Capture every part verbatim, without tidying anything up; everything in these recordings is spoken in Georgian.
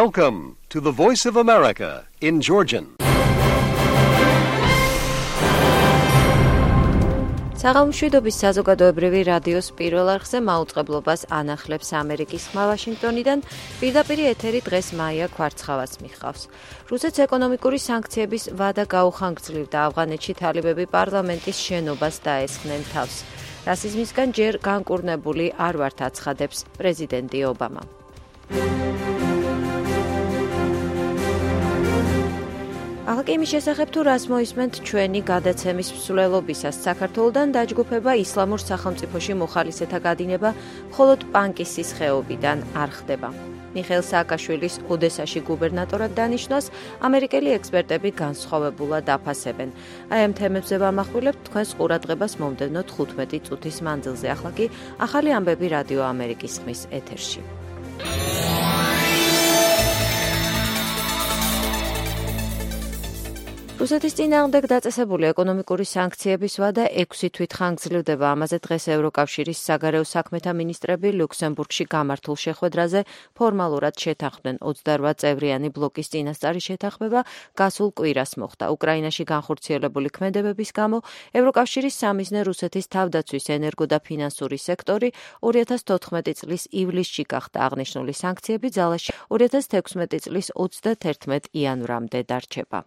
Welcome to the Voice of America in Georgian. საღამოშვიდობის საზოგადოებრივი რადიოს პირველ არხზე მაუწყებლობას ანახლებს ამერიკის ხმა ვაშინგტონიდან. პირდაპირ ეთერი დღეს მაია ქვარცხავას მიხავს. რუსეთს ეკონომიკური სანქციების ვადა გაუხანგრძლივდა. ავღანეთში თალიბები პარლამენტის შენობას დაესხნენ თავს. რასიზმისგან ჯერ განკურნებული არ ვართ აცხადებს პრეზიდენტი ობამა. ახლა კი იმის შესახებ თუ რას მოისმენთ ჩვენი გადაცემის მსვლელობისას. საქართველოდან დაჯგუფება ისლამურ სახელმწიფოში მოხალისეთა გადინება მხოლოდ პანკისის ხეობიდან არ ხდება. მიხეილ სააკაშვილის ოდესაში გუბერნატორად დანიშნვას ამერიკელი ექსპერტები განსხვავებულად აფასებენ. აი ამ თემებზე ვამახვილებთ თქვენს ყურადღებას მომდევნო თხუთმეტი წუთის მანძილზე. ახლა კი ახალი ამბები რადიო ამერიკის ხმის ეთერში. რუსეთის წინააღმდეგ დაწესებული ეკონომიკური სანქციების ვადა ექვსი თვით ხანგრძლივდება. ამაზე დღეს ევროკავშირის საგარეო საქმეთა მინისტრები ლუქსემბურგში გამართულ შეხვედრაზე ფორმალურად შეთანხმდნენ. ოცდარვა წევრიანი ბლოკის წინასწარი შეთანხმება გასულ კვირას მოხდა. უკრაინაში განხორციელებული ქმედებების გამო ევროკავშირის სამიზნე რუსეთის თავდაცვის ენერგო და ფინანსური სექტორი ორი ათას თოთხმეტი წლის ივლისში გახდა. აღნიშნული სანქციები ძალაში ორი ათას თექვსმეტი წლის ოცდათერთმეტ იანვრამდე დარჩება.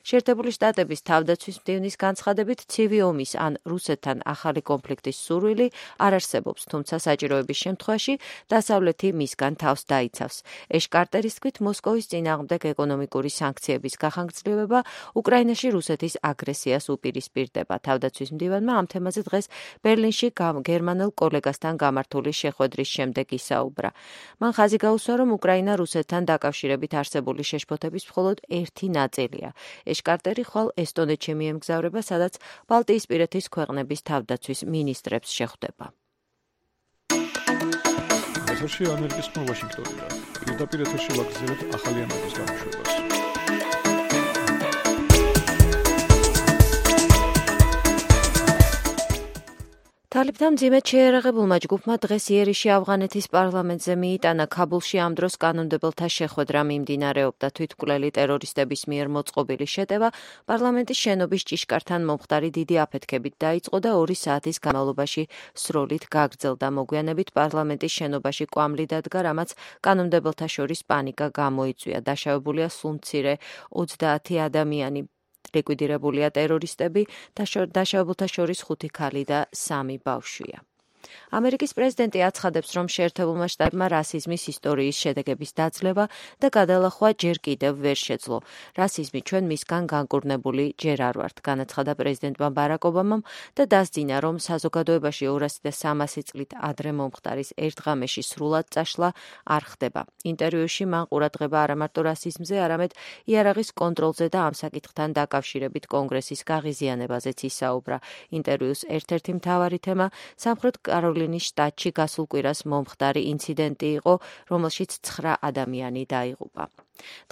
შეერთებული შტატების თავდაცვის მდივნის განცხადებით ცივი ომის ან რუსეთთან ახალი კონფლიქტის სურვილი არ არსებობს, თუმცა საჭიროების შემთხვევაში დასავლეთი მისგან თავს დაიცავს. ეშ კარტერის თქმით, მოსკოვის წინააღმდეგ ეკონომიკური სანქციების გახანგრძლივება უკრაინაში რუსეთის აგრესიას უპირისპირდება. თავდაცვის მდივანმა ამ თემაზე დღეს ბერლინში გერმანელ კოლეგასთან გამართული შეხვედრის შემდეგ ისაუბრა. მან ხაზი გაუსვა, რომ უკრაინა რუსეთთან დაკავშირებით არსებული შეშფოთების მხოლოდ ერთი ნაწილია. ეშ კარტერი ხვალ ესტონეთში მიემგზავრება, სადაც ბალტიისპირეთის ქვეყნების თავდაცვის მინისტრებს შეხვდება. ეთერში ამერიკის ხმა ვაშინგტონიდან. პირდაპირ ეთერში ვაგრძელებთ ახალი ამბების გამოშვებას. თალიბთან მძიმედ შეიარაღებულმა ჯგუფმა დღეს იერიში ავღანეთის პარლამენტზე მიიტანა. ქაბულში ამ დროს კანონმდებელთა შეხვედრა მიმდინარეობდა. თვითმკვლელი ტერორისტების მიერ მოწყობილი შეტევა პარლამენტის შენობის ჭიშკართან მომხდარი დიდი აფეთქებით დაიწყო და ორი საათის განმავლობაში სროლით გაგრძელდა. მოგვიანებით პარლამენტის შენობაში კვამლი დადგა, რამაც კანონმდებელთა შორის პანიკა გამოიწვია. დაშავებულია სულ მცირე ოცდაათი ადამიანი. ლიკვიდირებულია ტერორისტები, დაშავებულთა შორის ხუთი ქალი და სამი ბავშვია. ამერიკის პრეზიდენტი აცხადებს, რომ შეერთებულმა შტატებმა რასიზმის ისტორიის შედეგების დაძლევა და გადალახვა ჯერ კიდევ ვერ შეძლო. რასიზმი ჩვენ მისგან განკურნებული ჯერ არ ვართ, განაცხადა პრეზიდენტმა ბარაკ ობამამ და დასძინა, რომ საზოგადოებაში ორასი და სამასი წლით ადრე მომხდარის ერთ ღამეში სრულად წაშლა არ ხდება. ინტერვიუში მან ყურადღება არა მარტო რასიზმზე, არამედ იარაღის კონტროლზე და ამ საკითხთან დაკავშირებით კონგრესის გაღიზიანებაზეც ისაუბრა. ინტერვიუს ერთ-ერთი მთავარი თემა სამხრეთ კაროლინის შტატში გასულ კვირას მომხდარი ინციდენტი იყო, რომელშიც ცხრა ადამიანი დაიღუპა.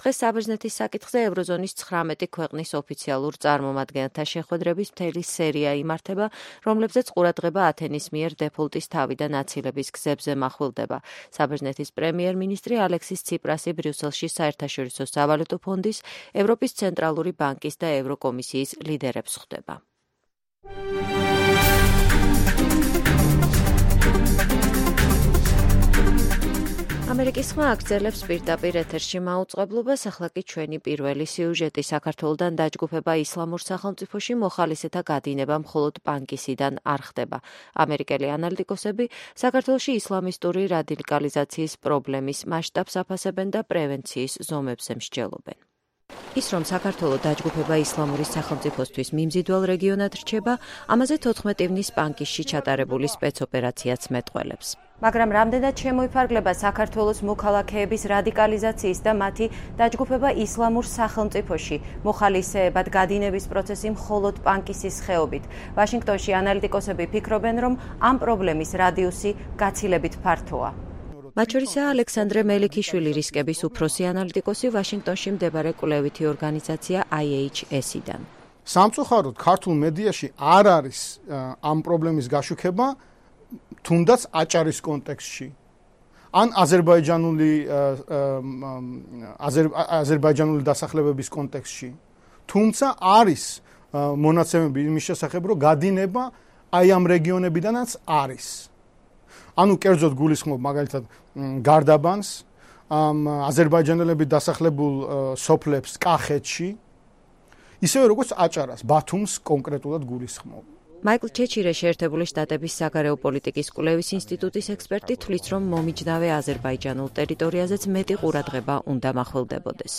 დღეს საბერძნეთის საკითხზე ევროზონის ცხრამეტი ქვეყნის ოფიციალურ წარმომადგენელთა შეხვედრების მთელი სერია იმართება, რომლებზეც ყურადღება ათენის მიერ დეფოლტის თავიდან აცილების გზებზე მახვილდება. საბერძნეთის პრემიერ-მინისტრი ალექსის ციპრასი ბრიუსელში საერთაშორისო სავალუტო ფონდის, ევროპის ცენტრალური ბანკის და ევროკომისიის ლიდერებს ხვდება. ამერიკის ხმა აგრძელებს პირდაპირ ეთერში მაუწყებლობას. ახლა კი ჩვენი პირველი სიუჟეტი. საქართველოდან დაჯგუფება ისლამურ სახელმწიფოში მოხალისეთა გადინება მხოლოდ პანკისიდან არ ხდება. ამერიკელი ანალიტიკოსები საქართველოში ისლამისტური რადიკალიზაციის პრობლემის მასშტაბს აფასებენ და პრევენციის ზომებზე მსჯელობენ. ის, რომ საქართველოს დაჯგუფება ისლამური სახელმწიფოსთვის მიმზიდველ რეგიონად რჩება, ამაზე თოთხმეტი ივნის პანკისში ჩატარებული სპეცოპერაციაც მეტყველებს. მაგრამ რამდენად შემოიფარგლება საქართველოს მოქალაქეების რადიკალიზაციის და მათი დაჯგუფება ისლამურ სახელმწიფოში, მოხალისეებად გადინების პროცესი მხოლოდ პანკისის ხეობით. ვაშინგტონში ანალიტიკოსები ფიქრობენ, რომ ამ პრობლემის რადიუსი გაცილებით ფართოა. მათ შორისაა ალექსანდრე მელიქიშვილი, რისკების უფროსი ანალიტიკოსი ვაშინგტონში მდებარე კვლევითი ორგანიზაცია აი ეიჩ ეს-დან. სამწუხაროდ ქართულ მედიაში არ არის ამ პრობლემის გაშუქება, თუნდაც აჭარის კონტექსტში. ან აზერბაიჯანული აზერბაიჯანული დასახლებების კონტექსტში. თუმცა არის მონაცემები იმის შესახებ, რომ გადინება აი ამ რეგიონებიდანაც არის. ანუ კერძოდ გულისხმობ მაგალითად გარდაბანს, აზერბაიჯანელები დასახლებულ სოფლებს კახეთში, ისევე როგორც აჭარას, ბათუმს კონკრეტულად გულისხმობ. მაიკლ ჩეჩირე შეერთებული შტატების საგარეო პოლიტიკის კვლევის ინსტიტუტის ექსპერტი თვლის, რომ მომიჯნავე აზერბაიჯანულ ტერიტორიაზეც მეტი ყურადღება უნდა მახველდებოდეს.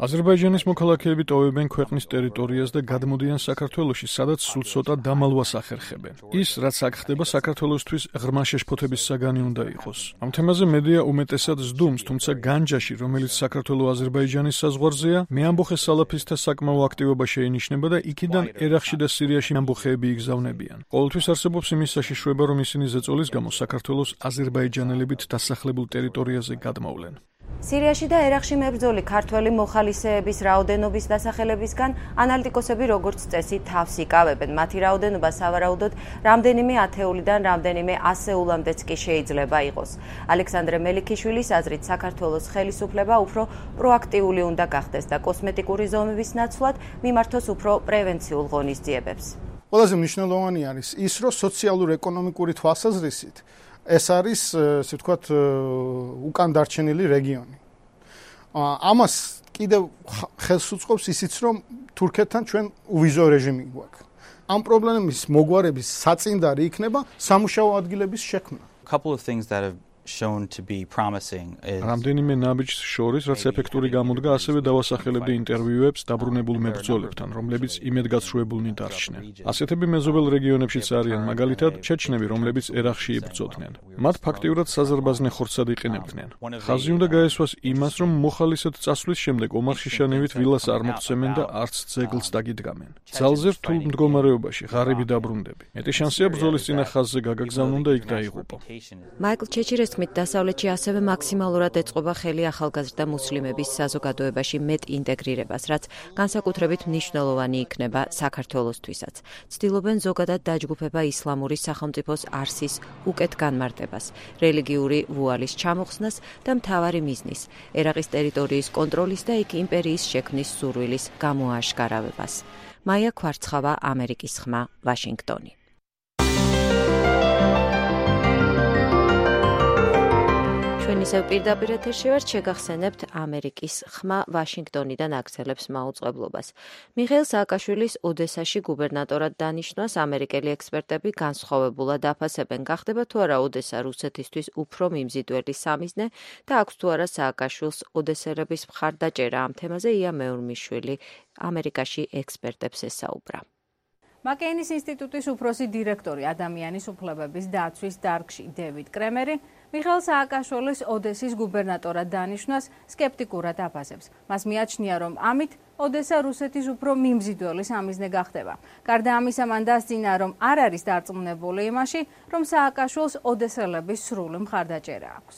აზერბაიჯანის მოქალაქეები ტოვებენ ქვეყნის ტერიტორიას და გადმოდიან საქართველოში, სადაც სულ ცოტა დამალვას ახერხებენ. ის, რაც აქ ხდება, საქართველოსთვის ღრმა შეშფოთების საგანი უნდა იყოს. ამ თემაზე მედია უმეტესად ზდუმს, თუმცა განჯაში, რომელიც საქართველო-აზერბაიჯანის საზღვარზეა, მეამბოხე სალაფისტთა საკმაო აქტივობა შეინიშნება და იქიდან ერახში და სირიაში ამბოხეები იგზავნებიან. ყოველთვის არსებობს იმის საშიშროება, რომ ისინი ზეწოლის გამო საქართველოს აზერბაიჯანელებით დასახლებულ ტერიტორიაზე გადმოვლენ. სირიაში და ერახში მებრძოლი ქართველი მოხალისეების რაოდენობის დასახელებისგან ანალიტიკოსები როგორც წესი თავს იკავებენ. მათი რაოდენობა სავარაუდოდ რამდენიმე ათეულიდან რამდენიმე ასეულამდეც კი შეიძლება იყოს. ალექსანდრე მელიქიშვილის აზრით საქართველოს ხელისუფლება უფრო პროაქტიული უნდა გახდეს და კოსმეტიკური ზომების ნაცვლად მიმართოს უფრო პრევენციულ ღონისძიებებს. ყველაზე მნიშვნელოვანი არის ის, რომ სოციალურ-ეკონომიკური თვალსაზრისით ეს არის, ესე ვთქვათ, უკან დარჩენილი რეგიონი. ამას კიდევ ხელს უწყობს ისიც, რომ თურქეთთან ჩვენ უვიზო რეჟიმი გვაქვს. ამ პრობლემის მოგვარების საწინდარი იქნება სამუშაო ადგილების შექმნა. რამდენიმე ნაბიჯს შორის, რაც ეფექტური გამოდგა, ასევე დავასახელებდი ინტერვიუებს დაბრუნებულ მებრძოლებთან, რომლებიც იმედგაცრუებულნი დარჩნენ. ასეთები მეზობელ რეგიონებშიც არიან, მაგალითად, ჩეჩნები, რომლებიც ერახში იბრძოდნენ. მათ ფაქტიურად საზარბაზნე ხორცად იყენებდნენ. ხაზი უნდა გაესვას იმას, რომ მოხალისედ წასვლის შემდეგ ომარში შანივით ვილას არ მოხსემენ და არც ძეგლს დაგიდგამენ. ძალზე რთულ მდგომარეობაში ღარიბი დაბრუნდები. მეტი შანსია ბრძოლის წინა ხაზზე გაგაგზავნონ და იქ დაიღუპო. მაიკლ ჩეჩირეს თქმით, დასავლეთში ასევე მაქსიმალურად ეწყობა ხელი ახალგაზრდა მუსლიმების საზოგადოებაში მეტ ინტეგრირებას, რაც განსაკუთრებით მნიშვნელოვანი იქნება საქართველოსთვისაც. ცდილობენ ზოგადად დაჯგუფება ისლამური სახელმწიფოს არსის უკეთ განმარტებას, რელიგიური ვუალის ჩამოხსნას და მთავარი მიზნის, ერაყის ტერიტორიის კონტროლის და იქ იმპერიის შექმნის სურვილის გამოაშკარავებას. მაია ქვარცხავა, ამერიკის ხმა, ვაშინგტონი. ჩვენ ისევ პირდაპირ ეთერში ვართ, შეგახსენებთ ამერიკის ხმა ვაშინგტონიდან აგრძელებს მაუწყებლობას. მიხეილ სააკაშვილის ოდესაში გუბერნატორად დანიშნვას ამერიკელი ექსპერტები განსხვავებულად აფასებენ. გახდება თუ არა ოდესა რუსეთისთვის უფრო მიმზიდველი სამიზნე და აქვს თუ არა სააკაშვილს ოდესელების მხარდაჭერა. ამ თემაზე ია მეურმიშვილი ამერიკაში ექსპერტებს ესაუბრა. მაკეინის ინსტიტუტის უფროსი დირექტორი ადამიანის უფლებების დაცვის დარგში დევიდ კრემერი მიხეილ სააკაშვილის ოდესის გუბერნატორად დანიშნვას სკეპტიკურად აფასებს. მას მიაჩნია, რომ ამით ოდესა რუსეთის უფრო მიმზიდველი სამიზნე გახდება. გარდა ამისა, მან დასძინა, რომ არ არის დარწმუნებული იმაში, რომ სააკაშვილს ოდესელების სრული მხარდაჭერა აქვს.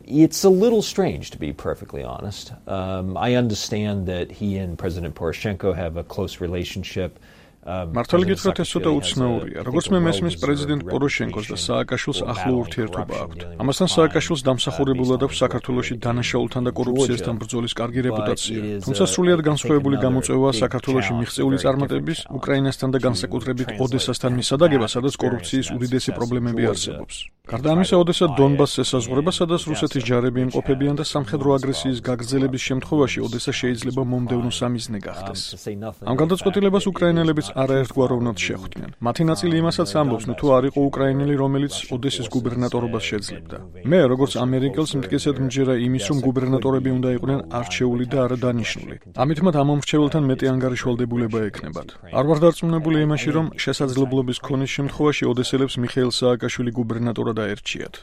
It's a little strange, to be perfectly honest. Um, I understand that he and President Poroshenko have a close relationship. მართალი გითხრათ, ეს ცოტა უცნაურია. როგორც მე მესმის, პრეზიდენტ პოროშენკოს და სააკაშვილს ახლო ურთიერთობა აქვთ. ამასთან სააკაშვილს დამსახურებულად აქვს საქართველოში დანაშაულთან და კორუფციასთან ბრძოლის კარგი რეპუტაცია. თუმცა სრულიად განსხვავებული გამოწვევაა საქართველოში მიღწეული წარმატების, უკრაინასთან და განსაკუთრებით ოდესასთან მისადაგება, სადაც კორუფციის უდიდესი პრობლემები არსებობს. გარდა ამისა, ოდესა დონბასს ესაზღვრება, სადაც რუსეთის ჯარები იმყოფებიან და სამხედრო აგრესიის გაგრძელების შემთხვევაში ოდესა შეიძლება მომდევნო სამიზნე გახდეს. ამ გადაწყვეტილებას უკრაინელებიც არაერთგვაროვნად შეხვდნენ. მათი ნაწილი იმასაც ამბობს, თუ არ იყო უკრაინელი, რომელიც ოდესის გუბერნატორობას შეძლებდა. მე, როგორც ამერიკელს, მტკიცედ მჯერა იმის, რომ გუბერნატორები უნდა იყვნენ არჩეული და არა დანიშნული. ამით მათ ამ მომრჩეველთან მეტი ანგარიშვალდებულება ექნებათ. არ ვარ დარწმუნებული იმაში, რომ შესაძლებლობის ქონის შემთხვევაში ოდესელებს მიხეილ სააკაშვილი გუბერნატორად აერჩიათ.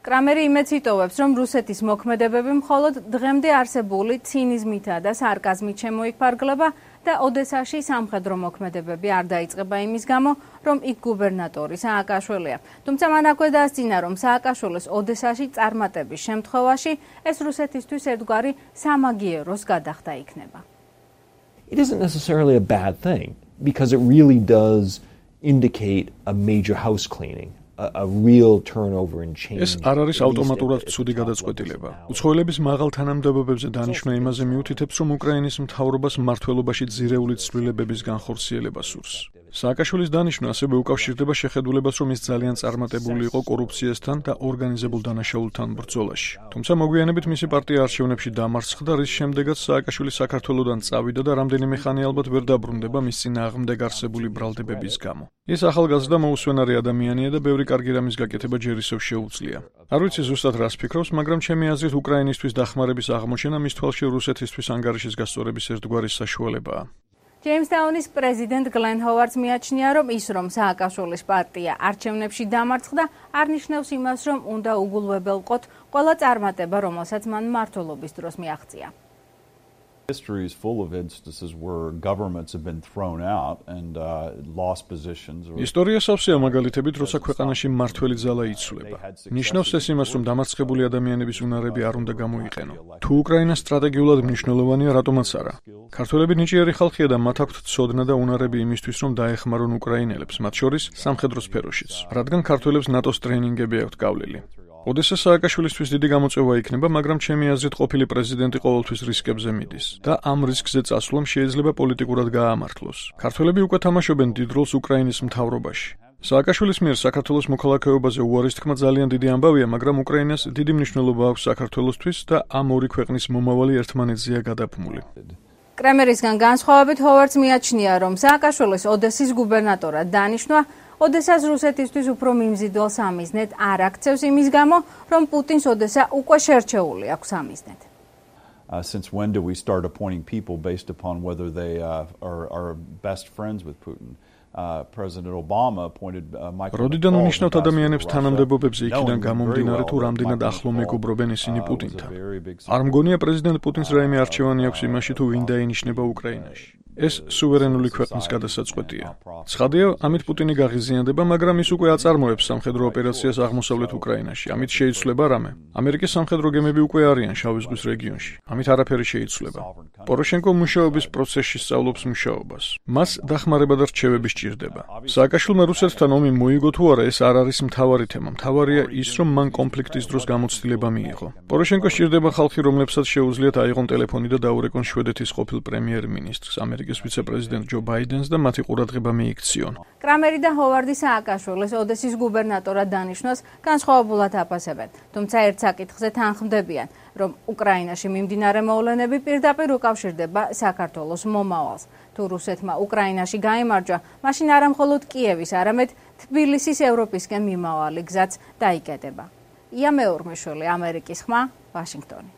კრამერი იმეც იტოვებს, რომ რუსეთის მოქმედებები მხოლოდ დღემდე არსებული ცინიზმითა და სარკაზმით შემოიფარგლება და ოდესაში სამხედრო მოქმედებები არ დაიწყება იმის გამო, რომ იქ გუბერნატორი სააკაშვილია. თუმცა მან აქვე დასძინა, რომ სააკაშვილის ოდესაში წარმატების შემთხვევაში ეს რუსეთისთვის ერთგვარი სამაგიეროს გადახდა იქნება. It isn't necessarily a bad thing because it really does indicate a major house cleaning a real turnover and change. ეს არ არის ავტომატურად ცუდი გადაწყვეტილება. უცხოელების მაღალ თანამდებობებზე დანიშვნა იმაზე მიუთითებს, რომ უკრაინის მთავრობას მმართველობაში ძირეული ცვლილებების განხორციელება სურს. სააკაშვილის დანიშვნა ასევე უკავშირდება შეხედულებას, რომ ის ძალიან წარმატებული იყო კორუფციასთან და ორგანიზებულ დანაშაულთან ბრძოლაში. თუმცა მოგვიანებით მისი პარტია არჩევნებში დამარცხდა, რის შემდეგაც სააკაშვილი საქართველოდან წავიდა და რამდენიმე ხანი ალბათ ვერ დაბრუნდება მის წინააღმდეგ არსებული ბრალდებების გამო. ის ახალგაზრდა მოუსვენარი ადამიანია და ბევრი კარგი რამის გაკეთება ჯერ ისევ შეუძლია. არ ვიცი ზუსტად რას ფიქრობს, მაგრამ ჩემი აზრით უკრაინისთვის დახმარების აღმოჩენა მის თვალში რუსეთისთვის ანგარიშის გასწორების ერთგვარი საშუალებაა. ჯეიმსტაუნის პრეზიდენტ გლენ ჰოვარდს მიაჩნია, რომ ის, რომ სააკაშვილის პარტია არჩევნებში დამარცხდა, არ ნიშნავს იმას, რომ უნდა უგულვებელყოთ ყველა წარმატება, რომელსაც მან მმართველობის დროს მიაღწია. History is full of instances where governments have been thrown out and uh, lost positions. ისტორია სავსეა მაგალითებით, როცა ქვეყანაში მმართველი ძალა იცვლება. ნიშნავს ეს იმას, რომ დამარცხებული ადამიანების უნარები არ უნდა გამოიყენო. თუ უკრაინა სტრატეგიულად მნიშვნელოვანია, რატომაც არა? ქართველები ნიჭიერი ხალხია და მათ აქვთ ცოდნა და უნარები იმისთვის, რომ დაეხმარონ უკრაინელებს, მათ შორის სამხედრო სფეროშიც, რადგან ქართველებს ნატოს ტრეინინგები აქვთ გავლილი. ოდესა სააკაშვილისთვის დიდი გამოწვევა იქნება, მაგრამ ჩემი აზრით ყოფილი პრეზიდენტი ყოველთვის რისკებზე მიდის და ამ რისკზე წასვლამ შეიძლება პოლიტიკურად გაამართლოს. ქართველები უკვე თამაშობენ დიდ როლს უკრაინის მთავრობაში. სააკაშვილის მიერ საქართველოს მოქალაქეობაზე უარის თქმა ძალიან დიდი ამბავია, მაგრამ უკრაინას დიდი მნიშვნელობა აქვს საქართველოსთვის და ამ ორი ქვეყნის მომავალი ერთმანეთზეა გადაფმული. კრემერისგან განსხვავებით ჰოვარდს მიაჩნია, რომ სააკაშვილის ოდესის გუბერნატორად დანიშვნა ოდესას რუსეთისთვის უფრო მიმზიდველ სამიზნედ არ აქცევს იმის გამო, რომ პუტინს ოდესა უკვე შერჩეული აქვს სამიზნედ. Uh, since when do we start appointing people based upon whether they uh, are, are best friends with Putin? Uh, President Obama appointed uh, Michael როდიდან უნიშნავთ ადამიანებს თანამდებობებზე იქიდან გამომდინარე თუ რამდენად ახლო მეგობრობენ ისინი პუტინთან. არ მგონია პრეზიდენტ პუტინს რაიმე არჩევანი აქვს იმაში თუ ვინ დაინიშნება უკრაინაში. ეს სუვერენული ქვეყნის გადასაწყვეტია. ცხადია, ამით პუტინი გაღიზიანდება, მაგრამ ის უკვე აწარმოებს სამხედრო ოპერაციას აღმოსავლეთ უკრაინაში. ამით შეიცვლება რამე. ამერიკის სამხედრო გემები უკვე არიან შავი ზღვის რეგიონში. ამით არაფერი შეიცვლება. პოროშენკო მუშაობის პროცესში სწავლობს მუშაობას. მას დახმარება და რჩევები სჭირდება. სააკაშვილმა რუსეთთან ომი მოიგო თუ არა, ეს არ არის მთავარი თემა. მთავარია ის, რომ მან კონფლიქტის დროს გამოცდილება მიიღო. პოროშენკო სჭირდება ხალხი, რომლებსაც შეუძლიათ აიღონ ტელეფონი და დაურეკონ შვედეთის ყოფილ პრემიერ-მინისტრს, ამერიკის ვიცე-პრეზიდენტ ჯო ბაიდენს და მათი ყურადღება მიიქციონ. კრამერი და ჰოვარდი სააკაშვილის ოდესის გუბერნატორად დანიშვნას განსხვავებულად აფასებენ, თუმცა ერთ საკითხზე თანხმდებიან, რომ უკრაინაში მიმდინარე მოვლენები პირდაპირ უკავშირდება საქართველოს მომავალს. თუ რუსეთმა უკრაინაში გაიმარჯვა, მაშინ არა მხოლოდ კიევის, არამედ თბილისის ევროპისკენ მიმავალი გზაც დაიკეტება. ია მეორმეშვილი, ამერიკის ხმა, ვაშინგტონი.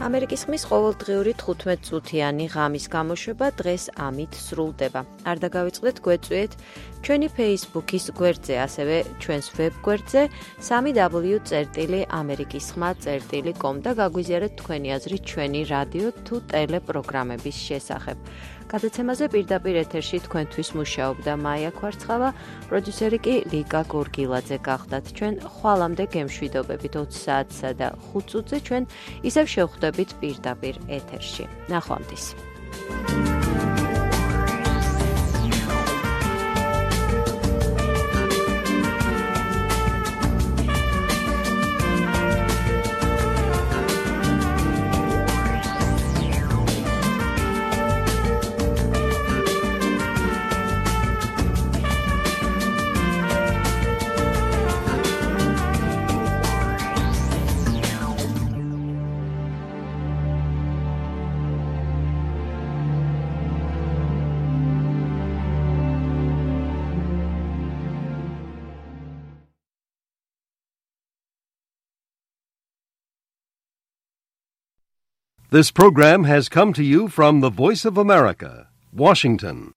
ამერიკის ხმის ყოველდღიური თხუთმეტ-წუთიანი ღამის გამოშვება დღეს ამით სრულდება. არ დაგავიწყდეთ გვეწვიეთ ჩვენი Facebook-ის გვერდზე, ასევე ჩვენს ვებ-გვერდზე სამი დაბლიუ წერტილი ამერიკის ხმა წერტილი კომ და გაგვიზიარეთ თქვენი აზრი ჩვენი რადიო თუ ტელეპროგრამების შესახებ. გადაცემაზე პირდაპირ ეთერში თქვენთვის მუშაობდა მაია კვარცხავა, პროდიუსერი კი ლიკა გორგილაძე გახდათ. ჩვენ ხვალამდე გემშვიდობებით ოცი საათსა და ხუთ წუთზე ჩვენ ისევ შევხვდებით პირდაპირ ეთერში. ნახვამდის. This program has come to you from the Voice of America, Washington.